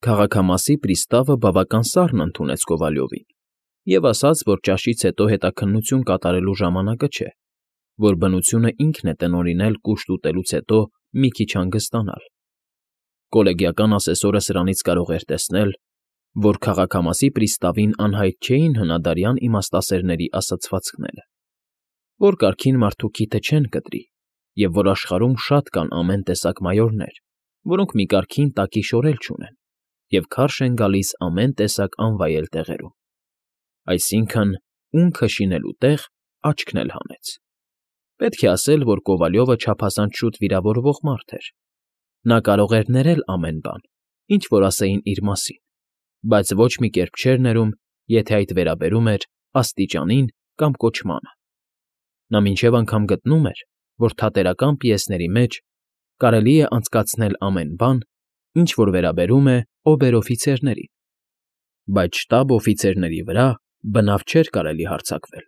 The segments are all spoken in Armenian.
Քաղաքամասի պրիստավը բավական սառն ընդունեց Կովալյովին և ասաց, որ ճաշից հետո հետաքննություն կատարելու ժամանակը չէ, որ բնությունը ինքն է տնօրինել կուշտ ուտելուց հետո մի քիչ հանգստանալ։ Կոլեգիական ասեսորը սրանից կարող էր տեսնել, որ քաղաքամասի պրիստավին անհայտ չէին հնադարյան իմաստասերների ասացվածքները, որ կարգին մարդու քիթը չեն կտրի և որ աշխարհում շատ կան ամեն տեսակ մայորներ, որոնք մի կարգին տակի շորել չունեն և քարշ են գալիս ամեն տեսակ անվայել տեղերում։ Այսինքն՝ ունքը շինելու տեղ աչքն էլ հանեց։ Պետք է ասել, որ Կովալյովը չափազանց շուտ վիրավորվող մարդ էր։ Նա կարող էր ներել ամեն բան, ինչ որ ասեին իր մասին, բայց ոչ մի կերպ չէր ներում, եթե այդ վերաբերում էր աստիճանին կամ կոչմանը։ Նա մինչև անգամ գտնում էր, որ թատերական պիեսների մեջ կարելի է անցկացնել ամեն բան, ինչ որ վերաբերում է օբեր֊օֆիցերներին, բայց շտաբ֊օֆիցերների վրա բնավ չէր կարելի հարձակվել։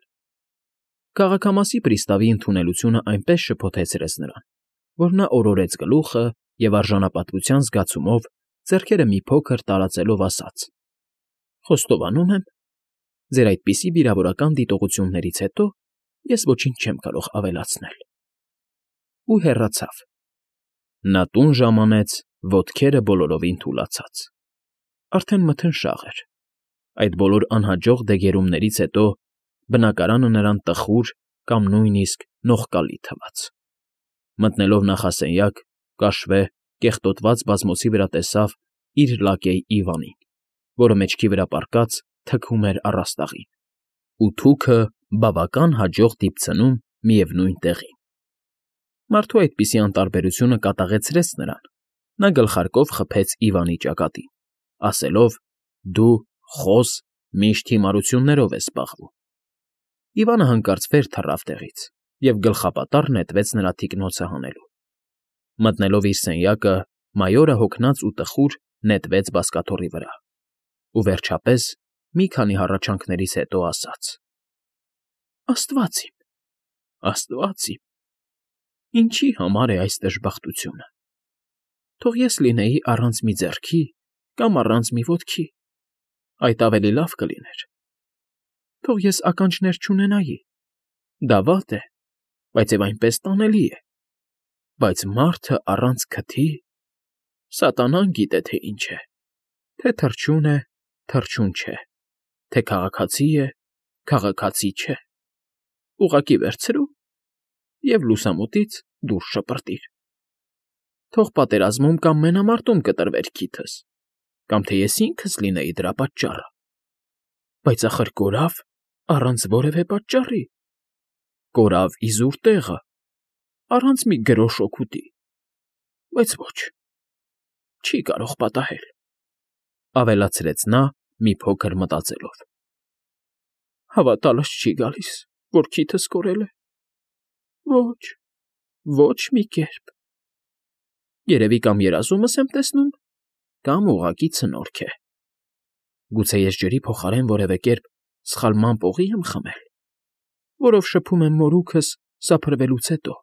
Քաղաքամասի պրիստավի ընդունելությունը այնպես շփոթեցրեց նրան, որ նա օրորեց գլուխը և արժանապատվության զգացումով ձեռքերը մի փոքր տարածելով ասաց. «Խոստովանում եմ, ձեր այդպիսի վիրավորական դիտողություններից հետո ես ոչինչ չեմ կարող ավելացնել»։ Ու հեռացավ։ Նա տուն ժամանեց, ոտքերը բոլորովին թուլացած։ Արդեն մթնշաղ էր։ Այդ բոլոր անհաջող դեգերումներից հետո բնակարանը նրան տխուր կամ նույնիսկ նողկալի թվաց։ Մտնելով նախասենյակ, կաշվե, կեղտոտված բազմոցի վրա տեսավ իր լակեյ Իվանին, որը մեջքի վրա պառկած թքում էր առաստաղին, ու թուքը բավական հաջող դիպցնում միևնույն տեղին։ Մարդու այդպիսի անտարբերությունը կատաղեցրեց նրան։ Նա գլխարկով խփեց Իվանի ճակատին, ասելով. «Դու, խոզ, միշտ հիմարություններով ես զբաղվում»։ Իվանը հանկարծ վեր թռավ տեղից և գլխապատառ նետվեց նրա թիկնոցը հանելու։ Մտնելով իր սենյակը, մայորը հոգնած ու տխուր նետվեց բազկաթոռի վրա ու, վերջապես, մի քանի հառաչանքներից հետո ասաց. «Աստված իմ, Աստված իմ, ինչի համար է այս դժբախտությունը։ Թող ես լինեի առանց մի ձեռքի կամ առանց մի ոտքի, այդ ավելի լավ կլիներ։ Թող ես ականջներ չունենայի, դա վատ է, բայց և այնպես տանելի է, բայց մարդը առանց քթի… Սատանան գիտե, թե ինչ է, թե թռչուն է, թռչուն չէ, թե քաղաքացի է, քաղաքացի չէ… Ուղղակի վերցրու և լուսամուտից դուրս շպրտիր… Թող պատերազմում կամ մենամարտում կտրվեր քիթս, կամ թե ես ինքս լինեի դրա պատճառը… Բայց ախր կորավ առանց որևէ պատճառի… Կորավ իզուր տեղը, առանց մի գրոշ օգուտի… Բայց ոչ, չի կարող պատահել…»։ Ավելացրեց նա, մի փոքր մտածելով. «Հավատալս չի գալիս, որ քիթս կորել է… Ոչ, ոչ մի կերպ… Երևի կամ երազումս եմ տեսնում, կամ ուղղակի ցնորք է… Գուցե ես ջրի փոխարեն որևէ կերպ սխալմամբ օղի՞ եմ խմել, որով շփում եմ մորուքս սափրվելուց հետո…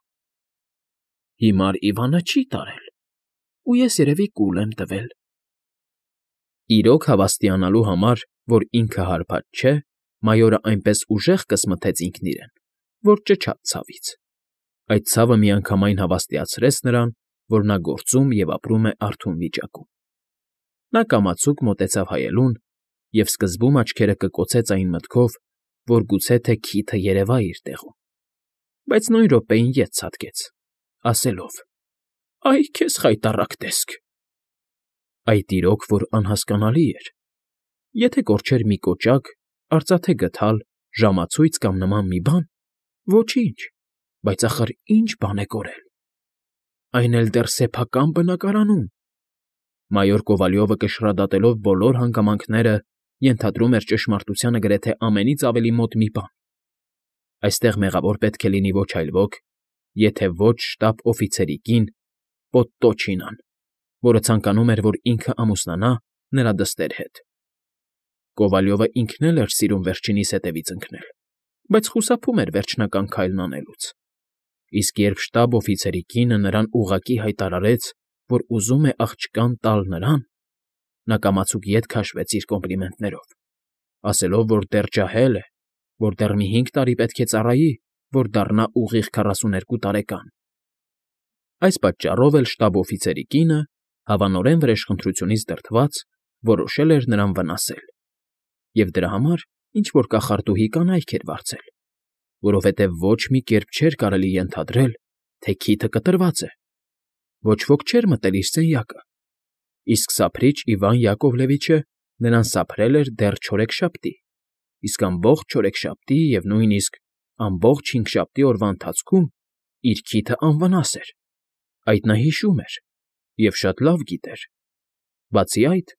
Հիմար Իվանը չի տարել, ու ես երևի կուլ եմ տվել…»։ Իրոք հավաստիանալու համար, որ ինքը հարբած չէ, մայորը այնպես ուժեղ կսմթեց ինքն իրեն, որ ճչաց ցավից։ Այդ ցավը միանգամայն հավաստիացրեց նրան, որ նա գործում և ապրում է արթուն վիճակում։ Նա կամացուկ մոտեցավ հայելուն և սկզբում աչքերը կկոցեց այն մտքով, որ գուցե թե քիթը երևա իր տեղում, բայց նույն րոպեին ետ ցատկեց, ասելով. «Ա՜յ քեզ խայտառակ տեսք»։ Այդ իրոք որ անհասկանալի էր… Եթե կորչեր մի կոճակ, արծաթե գդալ, ժամացույց կամ նման մի բան, ոչինչ, բայց ախր ինչ բան է կորել… Այն էլ դեռ սեփական բնակարանում… Մայոր Կովալյովը կշռադատելով բոլոր հանգամանքները, ենթադրում էր ճշմարտությանը գրեթե ամենից ավելի մոտ մի բան. այստեղ մեղավոր պետք է լինի ոչ այլ ոք, եթե ոչ շտաբ֊օֆիցերի կին Պոդտոչինան, որը ցանկանում էր, որ ինքը ամուսնանա նրա դստեր հետ։ Կովալյովը ինքն էլ էր սիրում վերջինիս հետևից ընկնել, բայց խուսափում էր վերջնական քայլն անելուց։ Իսկ երբ շտաբ֊օֆիցերի կինը նրան ուղղակի հայտարարեց, որ ուզում է աղջկան տալ նրան, նա կամացուկ ետ քաշվեց իր կոմպլիմենտներով, ասելով, որ դեռ ջահել է, որ դեռ մի 5 տարի պետք է ծառայի, որ դառնա ուղիղ 42 տարեկան։ Այս պատճառով էլ շտաբ֊օֆիցերի կինը, հավանորեն վրեժխնդրությունից դրդված, որոշել էր նրան վնասել, և դրա համար ինչ֊որ կախարդուհի կանայք էր վարձել, որովհետև ոչ մի կերպ չէր կարելի ենթադրել, թե քիթը կտրված է, ոչ ոք չէր մտել իր սենյակը, իսկ սափրիչ Իվան Յակովլևիչը նրան սափրել էր դեռ չորեքշաբթի, իսկ ամբողջ չորեքշաբթի և նույնիսկ ամբողջ հինգշաբթի օրվա ընթացքում իր քիթը անվնաս էր, այդ նա հիշում էր և շատ լավ գիտեր, բացի այդ,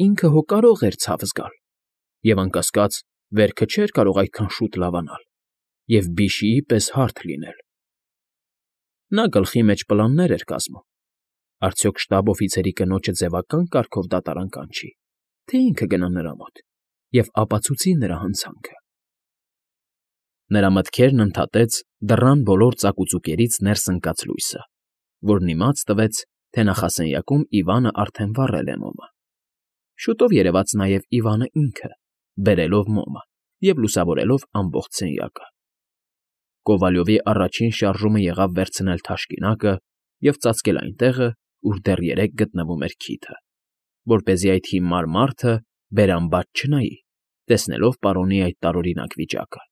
ինքը հո կարող էր ցավ զգալ, և անկասկած, վերքը չէր կարող այդքան շուտ լավանալ և բիշիի պես հարթ լինել։ Նա գլխի մեջ պլաններ էր կազմում. արդյոք շտաբ֊օֆիցերի կնոջը ձևական կարգով դատարան կանչի, թե ինքը գնա նրա մոտ և ապացուցի նրա հանցանքը։ Նրա մտքերն ընդհատեց դռան բոլոր ծակուծուկերից ներս ընկած լույսը, որն իմաց տվեց, թե նախասենյակում Իվանը արդեն վառել է մոմը։ Շուտով երևաց նաև Իվանը ինքը, բերելով մոմը և լուսավորելով ամբողջ սենյակը։ Կովալյովի առաջին շարժումը եղավ վերցնել թաշկինակը և ծածկել այն տեղը, ուր դեռ երեկ գտնվում էր քիթը, որպեսզի այդ հիմար մարդը բերան-բաց չնայի, տեսնելով պարոնի այդ տարօրինակ վիճակը։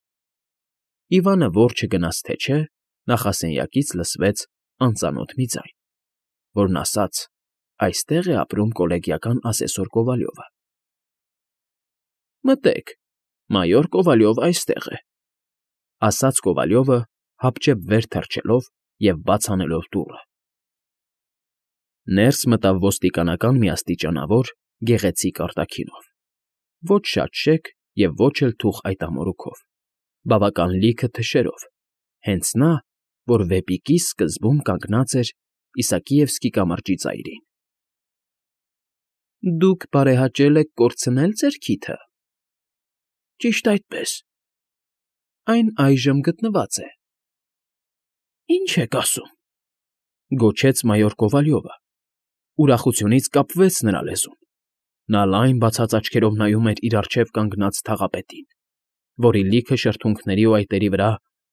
Իվանը որ չգնաց թե չէ, նախասենյակից լսվեց անծանոթ մի ձայն, որն ասաց. «Այստեղ է ապրում կոլեգիական ասեսոր Կովալյովը»։ «Մտեք, մայոր Կովալյով այստեղ է», ասաց Կովալյովը, հապճեպ վեր թռչելով և բաց անելով դուռը։ Ներս մտավ ոստիկանական մի աստիճանավոր, գեղեցիկ արտաքինով, ոչ շատ շեկ և ոչ էլ թուխ այտամորուքով, բավական լիքը թշերով, հենց նա, որ վեպիկի սկզբում կանգնած էր Իսակիևսկի կամրջի ծայրին։ «Դուք բարեհաճել եք կորցնել ձեր քիթը»։ «Ճիշտ այդպես»։ «Այն այժմ գտնված է»։ «Ի՞նչ եք ասում», գոչեց մայոր Կովալյովը։ Ուրախությունից կապվեց նրա լեզուն։ Նա լայն բացած աչքերով նայում էր իր առջև կանգնած թաղապետին, որի լիքը շրթունքների ու այտերի վրա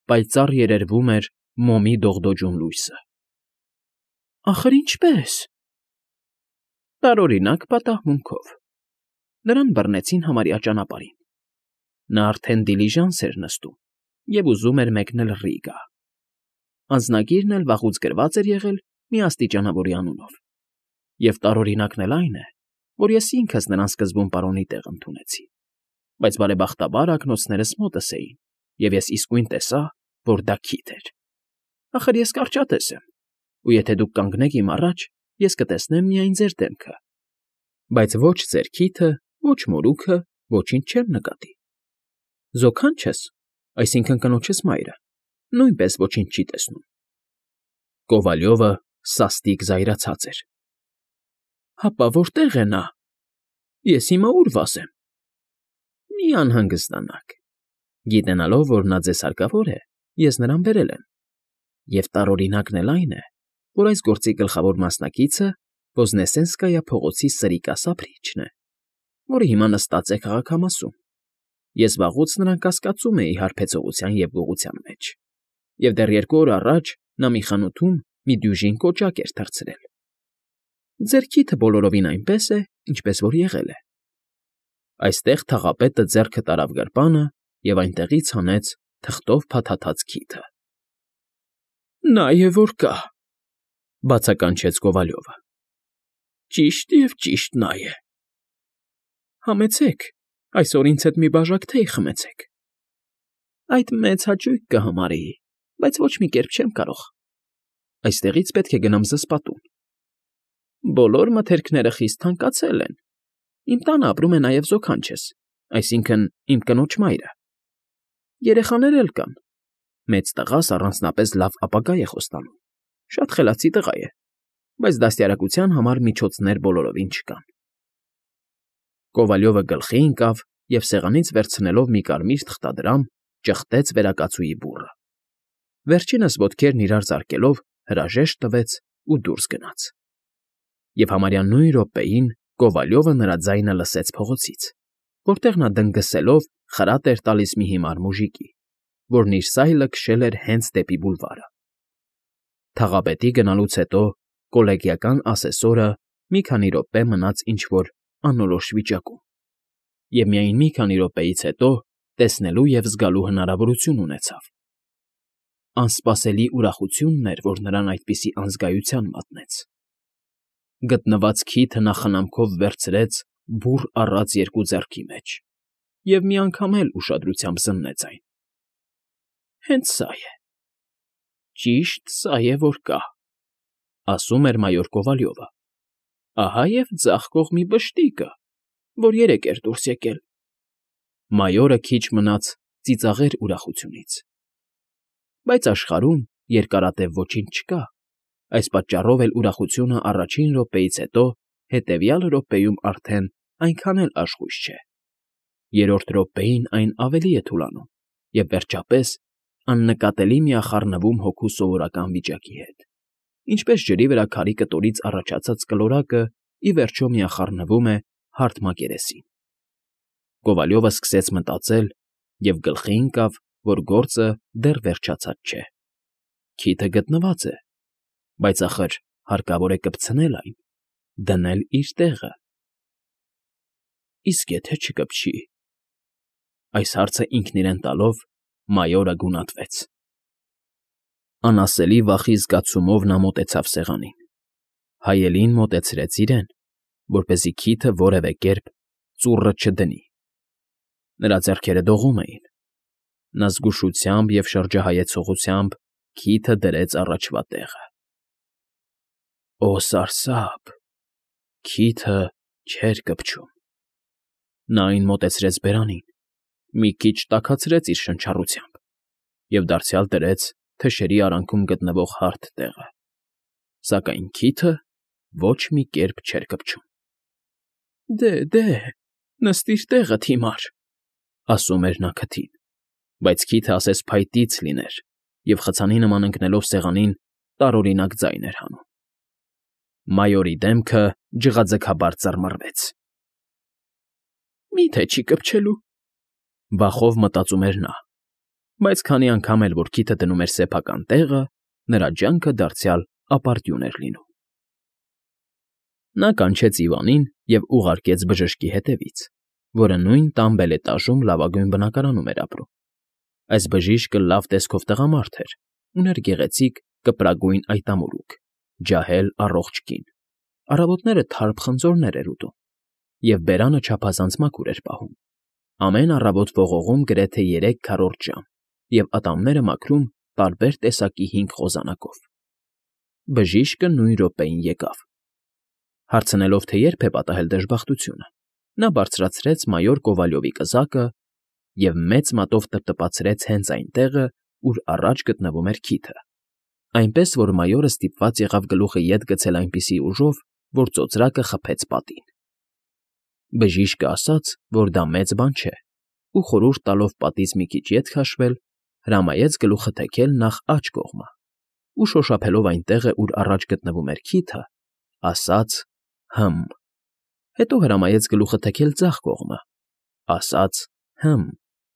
պայծառ երերվում էր մոմի դողդոջուն լույսը։ «Ախր ինչպե՞ս»։ Տարօրինակ պատահմունքով։ Նրան բռնեցին համարյա ճանապարհին։ Նա արդեն դիլիժանս էր նստում և ուզում էր մեկնել Ռիգա։ Անձնագիրն էլ վաղուց գրված էր եղել մի աստիճանավորի անունով։ Եվ տարօրինակն էլ այն է, որ ես ինքս նրան սկզբում պարոնի տեղ ընդունեցի, բայց բարեբախտաբար ակնոցներս մոտս էին, և ես իսկույն տեսա, որ դա քիթ էր։ Ախր ես կարճատես եմ, ու եթե դուք կանգնեք իմ առաջ, ես կտեսնեմ միայն ձեր դեմքը, բայց ոչ ձեր քիթը, ոչ մորուքը, ոչինչ չեմ նկատի։ Զոքանչս, այսինքն կնոջս մայրը, նույնպես ոչինչ չի տեսնում։ Կովալյովը սաստիկ զայրացած էր։ Հապա որտե՞ղ է նա։ Ես հիմա ուր վազեմ։ Մի անհանգստանաք։ Գիտենալով, որ նա ձեզ հարկավոր է, ես նրան բերել եմ։ Եվ տարօրինակն էլ այն է, որ այս գործի գլխավոր մասնակիցը Ոզնեսենսկայա փողոցի սրիկա Սափրիչն է, որը հիմա նստած է քաղաքամասում։ Ես վաղուց նրան կասկածում էի հարբեցողության և գողության մեջ, և դեռ 2 օր առաջ նա մի խանութում մի դյուժին կոճակ էր թռցրել։ Ձեր քիթը բոլորովին այնպես է, ինչպես որ եղել է։ Այստեղ թաղապետը ձեռքը տարավ գրպանը և այնտեղից հանեց թղթով փաթաթած քիթը։ Նա է որ կա, բացականչեց Կովալյովը։ Ճիշտ և ճիշտ նա է։ Համեցեք, այսօր ինձ հետ մի բաժակ թեյ խմեցեք։ Այդ մեծ հաճույք կհամարեի, բայց ոչ մի կերպ չեմ կարող։ Այստեղից պետք է գնամ զսպատուն։ Բոլոր մթերքները խիստ թանկացել են։ Իմ տանը ապրում է նաև զոքանչս, այսինքն՝ իմ կնոջ մայրը։ Երեխաներ էլ կան։ Մեծ տղաս առանձնապես լավ ապագա է խոստանում։ Շատ խելացի տղա է, բայց դաստիարակության համար միջոցներ բոլորովին չկան։ Կովալյովը գլխի ընկավ և սեղանից վերցնելով մի կարմիր թղթադրամ, ճխտեց վերակացուի բուռը։ Վերջինս ոտքերն իրար ծարկելով հրաժեշտ տվեց ու դուրս գնաց։ Եվ համարյա նույն րոպեին Կովալյովը նրա ձայնը լսեց փողոցից, որտեղ նա դնգսելով խրատ էր տալիս մի հիմար մուժիկի, որն իր սայլը քշել էր հենց դեպի բուլվարը։ Թաղապետի գնալուց հետո կոլեգիական ասեսորը մի քանի րոպե մնաց ինչ-որ անորոշ վիճակում, և միայն մի քանի րոպեից հետո տեսնելու և զգալու հնարավորություն ունեցավ։ Անսպասելի ուրախությունն էր, որ նրան այդպիսի անզգայության մատնեց։ Գտնված քիթը նա խնամքով վերցրեց բուռ առած երկու ձեռքի մեջ և մի անգամ էլ ուշադրությամբ զննեց այն։ «Հենց սա է, ճիշտ սա է, որ կա», ասում էր մայոր Կովալյովը։ «Ահա և ձախ կողմի բշտիկը, որ երեկ էր դուրս եկել»։ Մայորը քիչ մնաց ծիծաղեր ուրախությունից։ Բայց աշխարհում երկարատև ոչինչ չկա, այս պատճառով էլ ուրախությունը առաջին րոպեից հետո հետևյալ րոպեում արդեն այնքան էլ աշխույժ չէ։ Երրորդ րոպեին այն ավելի է թուլանում և, վերջապես, աննկատելի միախառնվում հոգու սովորական վիճակի հետ, ինչպես ջրի վրա քարի կտորից առաջացած կլորակը ի վերջո միախառնվում է հարթ մակերեսին։ Կովալյովը սկսեց մտածել և գլխի ընկավ, որ գործը դեռ վերջացած չէ։ Քիթը գտնված է, բայց ախր հարկավոր է կպցնել այն, դնել իր տեղը։ Իսկ եթե չկպչի։ Այս հարցը ինքն իրեն տալով մայորը գունատվեց։ Անասելի վախի զգացումով նա մոտեցավ սեղանին։ Հայելին մոտեցրեց իրեն, որպեսզի քիթը որևէ կերպ ծուռը չդնի։ Նրա ձեռքերը դողում էին։ Նա զգուշությամբ և շրջահայեցողությամբ քիթը դրեց առաջվա տեղը։ Օ, սարսափ… Քիթը չէր կպչում։ Նա այն մոտեցրեց բերանին, մի քիչ տաքացրեց իր շնչառությամբ և դարձյալ դրեց թշերի արանքում գտնվող հարթ տեղը, սակայն քիթը ոչ մի կերպ չէր կպչում։ Դե, նստիր տեղդ, հիմար, ասում էր նա քթին, բայց քիթը ասես փայտից լիներ և խցանի նման ընկնելով սեղանին տարօրինակ ձայն էր հանում։ Մայորի դեմքը ջղաձգաբար ծռմռվեց։ «Մի՞թե չի կպչելու», վախով մտածում էր նա, բայց քանի անգամ էլ որ քիթը դնում էր սեփական տեղը, նրա ջանքը դարձյալ ապարդյուն էր լինում։ Նա կանչեց Իվանին և ուղարկեց բժշկի հետևից, որը նույն տան բելետաժում լավագույն բնակարանում էր ապրում։ Այս բժիշկը լավ տեսքով տղամարդ էր, ուներ գեղեցիկ կպրագույն այտամորուք, ջահել առողջ կին, առավոտները թարմ խնձորներ էր ուտում և բերանը չափազանց մաքուր էր պահում, ամեն առավոտ ողողում գրեթե 3 քառորդ ժամ և ատամները մաքրում տարբեր տեսակի հինգ խոզանակով։ Բժիշկը նույն րոպեին եկավ։ Հարցնելով, թե երբ է պատահել դժբախտությունը, նա բարձրացրեց մայոր Կովալյովի կզակը և մեծ մատով տպտպացրեց հենց այն տեղը, ուր առաջ գտնվում էր քիթը, այնպես որ մայորը ստիպված եղավ գլուխը ետ գցել այնպիսի ուժով, որ ծոծրակը խփեց պատին։ Բժիշկը ասաց, որ դա մեծ բան չէ, ու խորհուրդ տալով պատից մի քիչ ետ քաշվել, հրամայեց գլուխը թեքել նախ աջ կողմը ու, շոշափելով այն տեղը, ուր առաջ գտնվում էր քիթը, ասաց «հը՛մ», հետո հրամայեց գլուխը թեքել ձախ կողմը, ասաց «հը՛մ»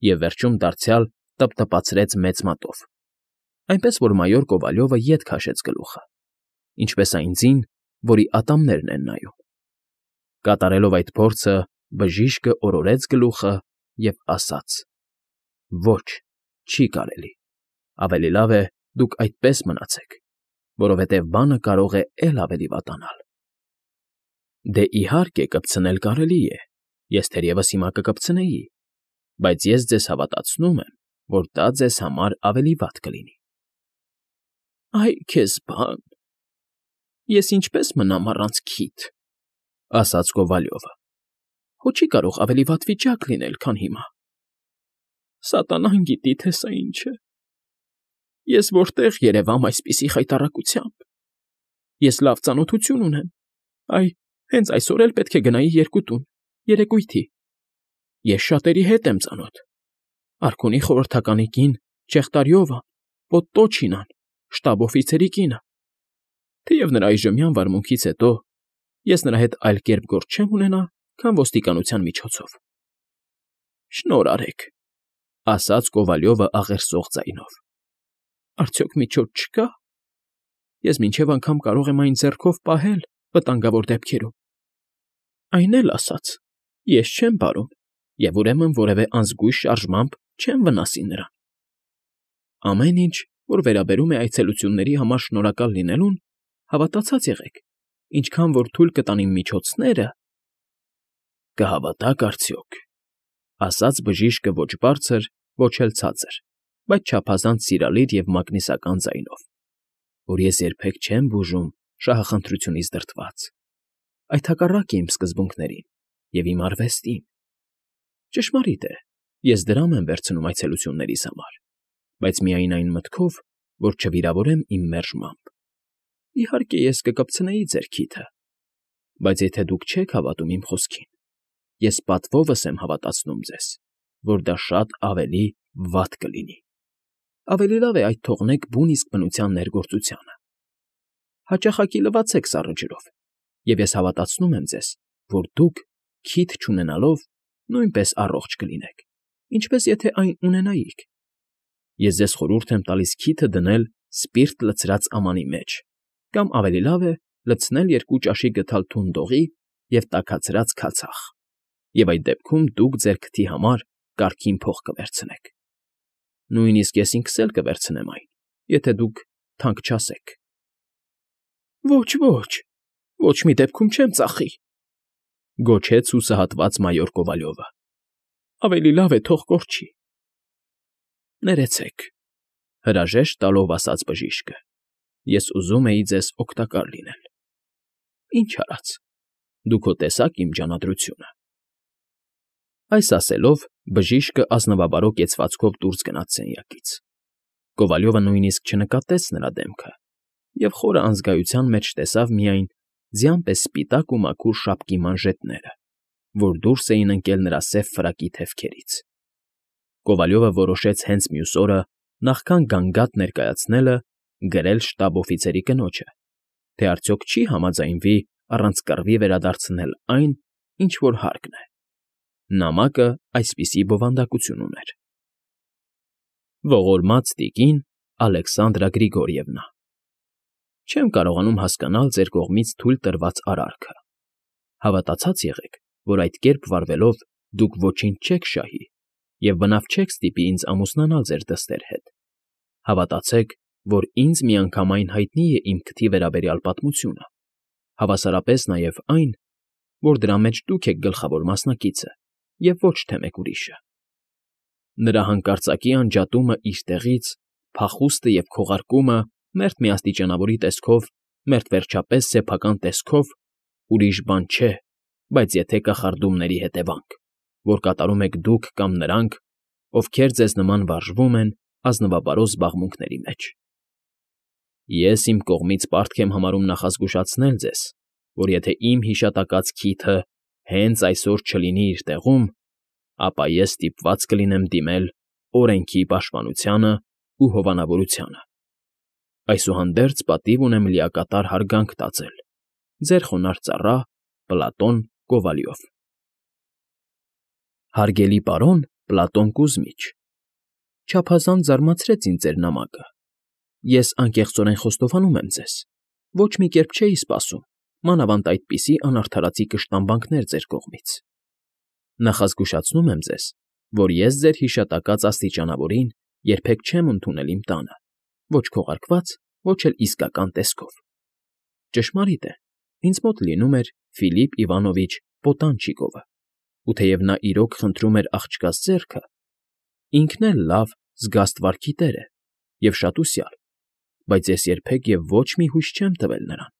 և վերջում դարձյալ տպտպացրեց մեծ մատով, այնպես որ մայոր Կովալյովը ետ քաշեց գլուխը, ինչպես այն ձին, որի ատամներն են նայում։ Կատարելով այդ փորձը բժիշկը օրորեց գլուխը և ասաց. «Ոչ, չի կարելի, ավելի լավ է դուք այդպես մնացեք, որովհետև բանը կարող է էլ ավելի վատանալ»։ Դե, իհարկե, կպցնել կարելի է, ես թերևս հիմա կկպցնեի, բայց ես ձեզ հավատացնում եմ, որ դա ձեզ համար ավելի վատ կլինի։ Այ քեզ բան… Ես ինչպե՞ս մնամ առանց քիթ, ասաց Կովալյովը։ Հո չի կարող ավելի վատ վիճակ լինել, քան հիմա։ Սատանան գիտի, թե սա ինչ է։ Ես որտեղ երևամ այսպիսի խայտառակությամբ։ Ես լավ ծանոթություն ունեմ, հենց այսօր էլ պետք է գնայի երկու տուն, երեկույթի։ Ես շատերի հետ եմ ծանոթ. արքունի խորհրդականի կին Չեխտարյովան, Պոդտոչինան, շտաբ֊օֆիցերի կինը։ Թեև նրա այժմյան վարմունքից հետո Ես նրա հետ այլ կերպ գործ չեմ ունենա, քան ոստիկանության միջոցով։ ֊ Շնորհ արեք, ֊ ասաց Կովալյովը աղերսող ձայնով։ ֊ Արդյոք միջոց չկա։ Ես մինչև անգամ կարող եմ այն ձեռքով պահել վտանգավոր դեպքերում։ Այն էլ ասաց. ես չեմ բարում, և ուրեմն որևէ անզգույշ շարժմամբ չեմ վնասի նրան։ Ամեն ինչ, որ վերաբերում է այցելությունների համար շնորհակալ լինելուն, հավատացած եղեք, ինչքան որ թույլ կտան իմ միջոցները… Կհավատաք արդյոք, ֊ ասաց բժիշկը ոչ բարձր, ոչ էլ ցածր, բայց չափազանց սիրալիր և մագնիսական ձայնով, որ ես երբեք չեմ բուժում շահախնդրությունից դրդված, այդ հակառակ է իմ սկզբունքներին և իմ արվեստին։ Ճշմարիտ է, ես դրամ եմ վերցնում այցելություններիս համար, բայց միայն այն մտքով, որ չվիրավորեմ իմ մերժմամբ։ Իհարկե, ես կկպցնեի ձեր քիթը, բայց եթե դուք չեք հավատում իմ խոսքին, ես պատվովս եմ հավատացնում ձեզ, որ դա շատ ավելի վատ կլինի։ Ավելի լավ է այդ թողնեք բուն իսկ բնության ներգործությանը։ Հաճախակի լվացեք սառը ջրով, և ես հավատացնում եմ ձեզ, որ դուք, քիթ չունենալով, նույնպես առողջ կլինեք, ինչպես եթե այն ունենայիք։ Ես ձեզ խորհուրդ եմ տալիս քիթը դնել սպիրտ լցրած ամանի մեջ, կամ ավելի լավ է լցնել 2 ճաշի գդալ թուն դողի և տաքացրած քացախ, և այդ դեպքում դուք ձեր քթի համար կարգին փող կվերցնեք։ Նույնիսկ ես ինքս էլ կվերցնեմ այն, եթե դուք թանկ չասեք։ Ոչ, ոչ մի դեպքում չեմ ծախի, ֊ գոչեց հուսահատված մայոր Կովալյովը։ Ավելի լավ է թող կորչի։ Ներեցեք, ֊ հրաժեշտ տալով ասաց բժիշկը, ես ուզում էի ձեզ օգտակար լինել։ Ինչ արած, դուք հո տեսաք իմ ջանադրությունը։ Այս ասելով բժիշկը ազնվաբարո կեցվածքով դուրս գնաց սենյակից։ Կովալյովը նույնիսկ չնկատեց նրա դեմքը և խորը անզգայության մեջ տեսավ միայն ձյան պես սպիտակ ու մաքուր շապկի մանժետները, որ դուրս էին ընկել նրա սև ֆրակի թևքերից։ Կովալյովը որոշեց հենց մյուս օրը, նախքան գանգատ ներկայացնելը, գրել շտաբ֊օֆիցերի կնոջը, թե արդյոք չի համաձայնվի առանց կռվի վերադարձնել այն, ինչ որ հարկն է։ Նամակը այսպիսի բովանդակություն ուներ. Ողորմած տիկին Ալեքսանդրա Գրիգորիևնա, չեմ կարողանում հասկանալ ձեր կողմից թույլ տրված արարքը։ Հավատացած եղեք, որ այդ կերպ վարվելով դուք ոչինչ չեք շահի և բնավ չեք ստիպի ինձ ամուսնանալ ձեր դստեր հետ։ Հավատացեք, որ ինձ միանգամայն հայտնի է իմ քթի վերաբերյալ պատմությունը, հավասարապես նաև այն, որ դրա մեջ դուք եք գլխավոր մասնակիցը և ոչ թե մեկ ուրիշը։ Նրա հանկարծակի անջատումը իր տեղից, փախուստը և քողարկումը մերթ միաստիճանավորի տեսքով, մերթ վերջապես սեփական տեսքով ուրիշ բան չէ, բայց եթե կախարդումների հետևանք, որ կատարում եք դուք կամ նրանք, ովքեր ձեզ նման վարժվում են ազնվաբարո զբաղմունքների մեջ։ Ես իմ կողմից պարտք եմ համարում նախազգուշացնել ձեզ, որ եթե իմ հիշատակած քիթը հենց այսօր չլինի իր տեղում, ապա ես ստիպված կլինեմ դիմել օրենքի պաշտպանությանը ու հովանավորությանը։ Այսուհանդերձ պատիվ ունեմ լիակատար հարգանք տածել ձեր խոնարհ ծառա Պլատոն Կովալյով։ Հարգելի պարոն Պլատոն Կուզմիչ, չափազանց զարմացրեց ինձ ձեր նամակը։ Ես անկեղծորեն խոստովանում եմ ձեզ, ոչ մի կերպ չէի սպասում, մանավանդ այդպիսի անարդարացի կշտամբանքներ ձեր կողմից։ Նախազգուշացնում եմ ձեզ, որ ես ձեր հիշատակած աստիճանավորին երբեք չեմ ընդունել իմ տանը, ոչ քողարկված, ոչ էլ իսկական տեսքով։ Ճշմարիտ է, ինձ մոտ լինում էր Ֆիլիպ Իվանովիչ Պոտանչիկովը, ու թեև նա իրոք խնդրում էր աղջկաս ձեռքը, ինքն էլ լավ, զգաստ վարքի տեր է և շատ ուսյալ, բայց ես երբեք և ոչ մի հույս չեմ տվել նրան։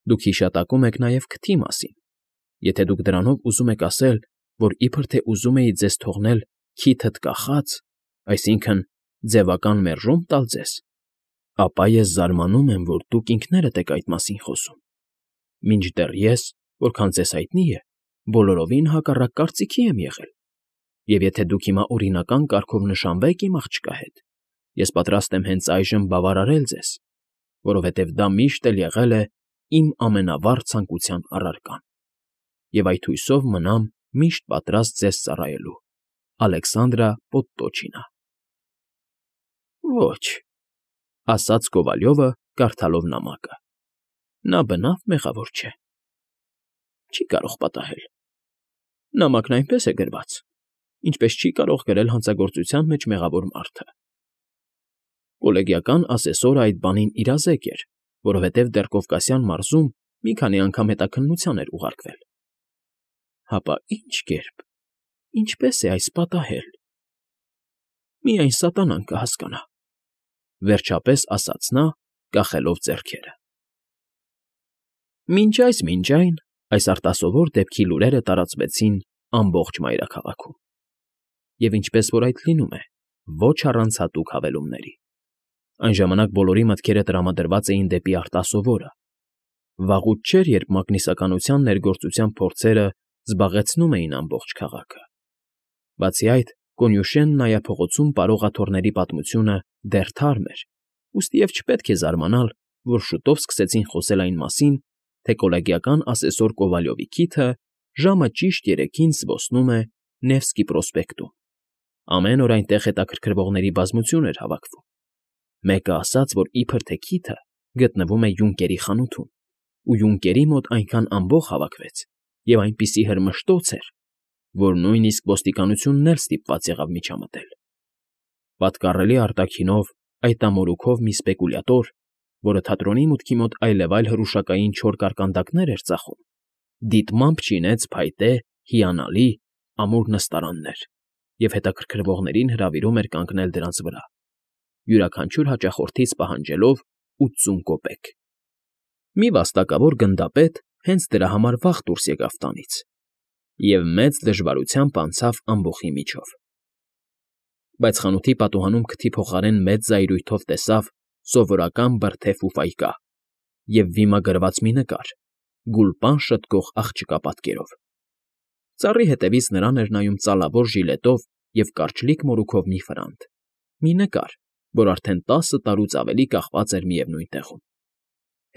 Դուք հիշատակում եք նաև քթի մասին։ Եթե դուք դրանով ուզում եք ասել, որ իբր թե ուզում էի ձեզ թողնել քիթդ կախած, այսինքն ձևական մերժում տալ ձեզ, ապա ես զարմանում եմ, որ դուք ինքներդ եք այդ մասին խոսում։ Մինչդեռ ես, որքան ձեզ հայտնի է, բոլորովին հակառակ կարծիքի եմ եղել, և եթե դուք հիմա օրինական կարգով նշանվեք իմ աղջկա հետ, ես պատրաստ եմ հենց այժմ բավարարել ձեզ, որովհետև դա միշտ էլ եղել է իմ ամենավառ ցանկության առարկան, և այդ հույսով մնամ միշտ պատրաստ ձեզ ծառայելու, Ալեքսանդրա Պոդտոչինա։ Ոչ, ասաց Կովալյովը, կարդալով նամակը, նա բնավ մեղավոր չէ, չի կարող պատահել։ Նամակն այնպես է գրված, ինչպես չի կարող գրել հանցագործության մեջ մեղավոր մարդը։ Կոլեգիական ասեսորը այդ բանին իրազեկ էր, որովհետև դեռ Կովկասյան մարզում մի քանի անգամ հետաքննության էր ուղարկվել։ Հապա ի՞նչ կերպ, ինչպես է այս պատահել։ Միայն սատանան կհասկանա, վերջապես ասաց նա, կախելով ձեռքերը։ Մինչ այս արտասովոր դեպքի լուրերը տարածվեցին ամբողջ մայրաքաղաքում։ Եվ ինչպես որ այդ լինում է, ոչ առանց հատուկ հավելումների։ Այն ժամանակ բոլորի մտքերը տրամադրված էին դեպի արտասովորը։ Վաղուց չէր, երբ մագնիսականության ներգործության փորձերը զբաղեցնում էին ամբողջ քաղաքը։ Բացի այդ, Կոնյուշեն նայափողոցում պարող աթոռների պատմությունը դեռ թարմ էր, ուստիև չպետք է զարմանալ, որ շուտով սկսեցին խոսել այն մասին, թե կոլեգիական ասեսոր Կովալյովի քիթը ժամը ճիշտ 3-ին զբոսնում է Նևսկի պրոսպեկտում։ Ամեն օր այնտեղ հետաքրքրվողների բազմություն էր հավաքվում։ Մեկը ասաց, որ իբր թե քիթը գտնվում է Յունկերի խանութում, ու Յունկերի մոտ այնքան ամբոխ հավաքվեց, և այնպիսի հրմշտոց էր, որ նույնիսկ ոստիկանությունն էլ ստիպված եղավ միջամտել։ Պատկառելի արտաքինով այդ ամորուքով մի սպեկուլյատոր, որը թատրոնի մուտքի մոտ այլևայլ հրուշակային չոր կարկանդակներ էր ծախում, դիտմամբ չինեց փայտե, հիանալի, ամուր նստարաններ և հետաքրքրվողներին հրավիրում էր կանգնել դրանց վրա, յուրաքանչյուր հաճախորդից պահանջելով 80 կոպեկ։ Մի վաստակավոր գնդապետ հենց դրա համար վաղ դուրս եկավ տանից և մեծ դժվարությամբ անցավ ամբոխի միջով։ Բայց խանութի պատուհանում քթի փոխարեն մեծ զայրույթով տեսավ սովորական բրդե ֆուֆայկա և վիմագրված մի նկար՝ գուլպան շտկող աղջկա պատկերով։ Ծառի հետևից նրան էր նայում ծալավոր ժիլետով և կարճլիկ մորուքով մի ֆրանտ, մի նկար, որ արդեն 10 տարուց ավելի կախված էր միևնույն տեղում։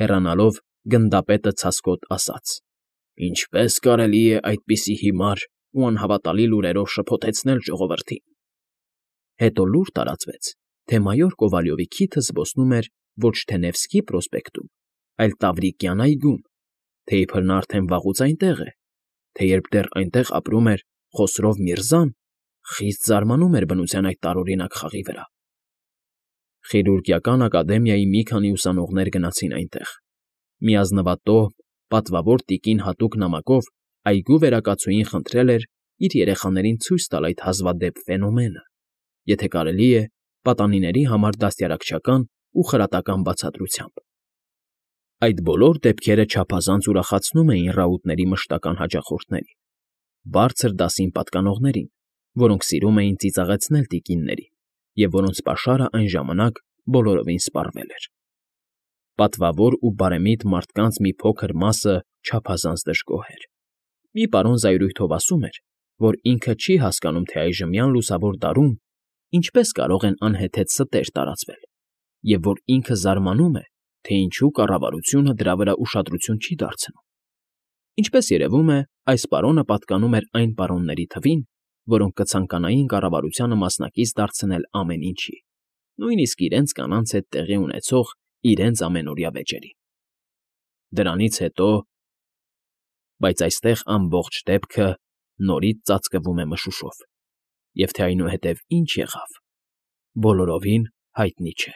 Հեռանալով գնդապետը ցասկոտ ասաց. «Ինչպե՞ս կարելի է այդպիսի հիմար ու անհավատալի լուրերով շփոթեցնել ժողովրդին»։ Հետո լուր տարածվեց, թե մայոր Կովալյովի քիթը զբոսնում էր ոչ թե Նևսկի պրոսպեկտում, այլ Տավրիկյան այգում, թե իբր նա արդեն վաղուց այնտեղ է, թե երբ դեռ այնտեղ ապրում էր Խոսրով Միրզան, խիստ զարմանում էր բնության այդ տարօրինակ խաղի վրա։ Խիրուրգիական ակադեմիայի մի քանի ուսանողներ գնացին այնտեղ։ Մի ազնվատոհ, պատվավոր տիկին հատուկ նամակով այգու վերակացուհին խնդրել էր իր երեխաներին ցույց տալ այդ հազվադեպ ֆենոմենը, եթե կարելի է, պատանիների համար դաստիարակչական ու խրատական բացատրությամբ։ Այդ բոլոր դեպքերը չափազանց ուրախացնում էին ռաուտների մշտական հաճախորդներին, բարձր դասին պատկանողներին, որոնք սիրում էին ծիծաղեցնել տիկիններին և որոնց պաշարը այն ժամանակ բոլորովին սպառվել էր։ Պատվավոր ու բարեմիտ մարդկանց մի փոքր մասը չափազանց դժգոհ էր։ Մի պարոն զայրույթով ասում էր, որ ինքը չի հասկանում, թե այժմյան լուսավոր դարում ինչպես կարող են անհեթեթ ստեր տարածվել, և որ ինքը զարմանում է, թե ինչու կառավարությունը դրա վրա ուշադրություն չի դարձնում։ Ինչպես երևում է, այս պարոնը պատկանում էր այն պարոնների թվին, որոնք կցանկանային կառավարությանը մասնակից դարձնել ամեն ինչի, նույնիսկ իրենց կանանց հետ տեղի ունեցող իրենց ամենօրյա վեճերին։ Դրանից հետո… Բայց այստեղ ամբողջ դեպքը նորից ծածկվում է մշուշով, և թե այնուհետև ինչ եղավ, բոլորովին հայտնի չէ։